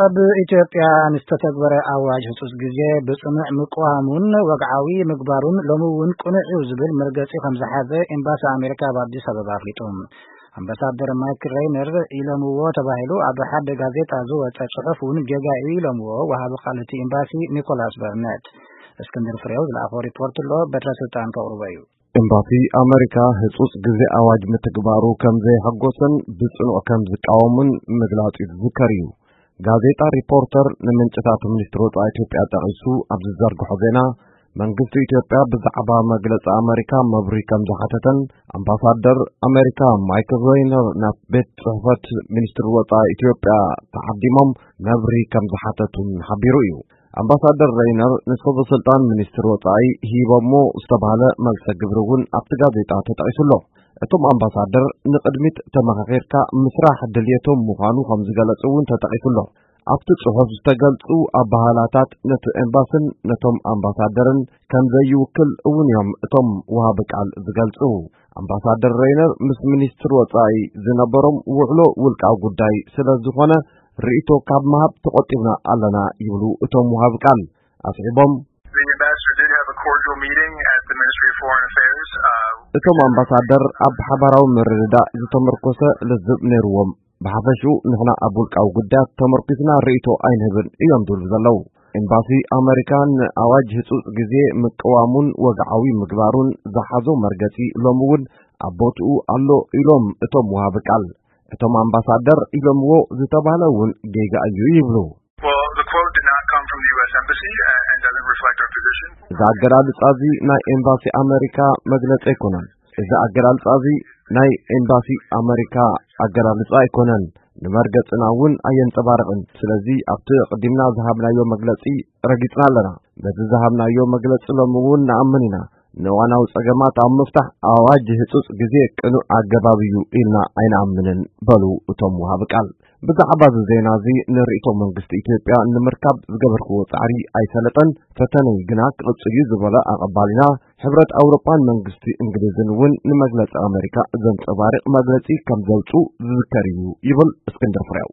ኣብ ኢትዮጵያ ንዝተተግበረ ኣዋጅ ህጹጽ ግዜ ብጽኑዕ ምቅዋሙን ወግዓዊ ምግባሩን ሎሚ እውን ቅኑዕ እዩ ዝብል መርገጺ ከም ዝሓዘ ኤምባሲ ኣሜሪካ ኣብ ኣዲስ ኣበባ ኣፍሊጡ። ኣምባሳደር ማይክ ሬይነር ኢሎምዎ ተባሂሉ ኣብ ሓደ ጋዜጣ ዝወጸ ጽሑፍ እውን ጌጋ እዩ ኢሎምዎ ወሃቢ ቃል እቲ ኤምባሲ ኒኮላስ በርነት። እስክንድር ፍሬው ዝለኣኾ ሪፖርት ኣሎ፣ በትረ ስልጣን ከቕርቦ እዩ። ኤምባሲ ኣመሪካ ህጹጽ ግዜ ኣዋጅ ምትግባሩ ከም ዘየሐጎሰን ብጽኑዕ ከም ዝቃወሙን ምግላጹ ዝዝከር እዩ። ጋዜጣ ሪፖርተር ንምንጭታት ሚኒስትሪ ወጻኢ ኢትዮጵያ ጠቒሱ ኣብ ዝዘርግሖ ዜና፣ መንግስቲ ኢትዮጵያ ብዛዕባ መግለጺ ኣመሪካ መብርሂ ከም ዝሓተተን ኣምባሳደር ኣመሪካ ማይክል ሬይነር ናብ ቤት ጽሕፈት ሚኒስትሪ ወጻኢ ኢትዮጵያ ተዓዲሞም መብርሂ ከም ዝሓተቱን ሓቢሩ እዩ። ኣምባሳደር ሬይነር ንሰበ ስልጣን ሚኒስትሪ ወጻኢ ሂቦሞ ዝተባህለ መልሰ ግብሪ እውን ኣብቲ ጋዜጣ ተጠቒሱ ኣሎ። እቶም ኣምባሳደር ንቕድሚት ተመኻኺርካ ምስራሕ ድልየቶም ምዃኑ ከም ዝገለጹ እውን ተጠቒሱ ኣሎ። ኣብቲ ጽሑፍ ዝተገልጹ ኣባህላታት ነቲ ኤምባስን ነቶም ኣምባሳደርን ከም ዘይውክል እውን እዮም እቶም ወሃቢ ቃል ዝገልጹ። ኣምባሳደር ሬይነር ምስ ሚኒስትሪ ወጻኢ ዝነበሮም ውዕሎ ውልቃዊ ጉዳይ ስለ ዝኾነ ርእይቶ ካብ ምሃብ ተቖጢብና ኣለና ይብሉ እቶም ወሃቢ ቃል። ኣስዒቦም፣ The ambassador did have a cordial meeting at the Ministry of Foreign Affairs. Uh, እቶም ኣምባሳደር ኣብ ሓባራዊ ምርድዳእ ዝተመርኮሰ ልዝብ ነይርዎም። ብሓፈሽኡ ንሕና ኣብ ውልቃዊ ጉዳያት ተመርኪስና ርእይቶ ኣይንህብን እዮም ዝብሉ ዘለዉ። ኤምባሲ ኣመሪካ ንኣዋጅ ህጹጽ ግዜ ምቅዋሙን ወግዓዊ ምግባሩን ዝሓዞ መርገጺ ሎሚ እውን ኣብ ቦትኡ ኣሎ ኢሎም እቶም ወሃቢ ቃል። እቶም ኣምባሳደር ኢሎምዎ ዝተባህለ እውን ጌጋ እዩ ይብሉ። Well, the quote did not come from the U S Embassy and and doesn't reflect our position. እዚ ኣገላልጻ እዚ ናይ ኤምባሲ ኣመሪካ መግለጺ ኣይኮነን። እዚ ኣገላልጻ እዚ ናይ ኤምባሲ ኣመሪካ ኣገላልጻ ኣይኮነን። ንመርገጽና እውን ኣየንጸባርቕን። ስለዚ ኣብቲ ቅዲምና ዝሃብናዮ መግለጺ ረጊጽና ኣለና። በዚ ዝሃብናዮ መግለጺ ሎሚ እውን ንኣምን ኢና። ንእዋናዊ ጸገማት ኣብ ምፍታሕ ኣዋጅ ህጹጽ ግዜ ቅኑዕ ኣገባብ እዩ ኢልና ኣይንኣምንን በሉ እቶም ወሃቢ ቃል። ብዛዕባ እዚ ዜና እዚ ንርእይቶ መንግስቲ ኢትዮጵያ ንምርካብ ዝገበርክዎ ጻዕሪ ኣይሰለጠን። ፈተነይ ግና ክቕጽል እዩ ዝበለ ኣቐባሊና፣ ሕብረት ኣውሮጳን መንግስቲ እንግሊዝን እውን ንመግለጺ ኣመሪካ ዘንጸባርቕ መግለጺ ከም ዘውጹ ዝዝከር እዩ ይብል እስክንድር ፍሬው።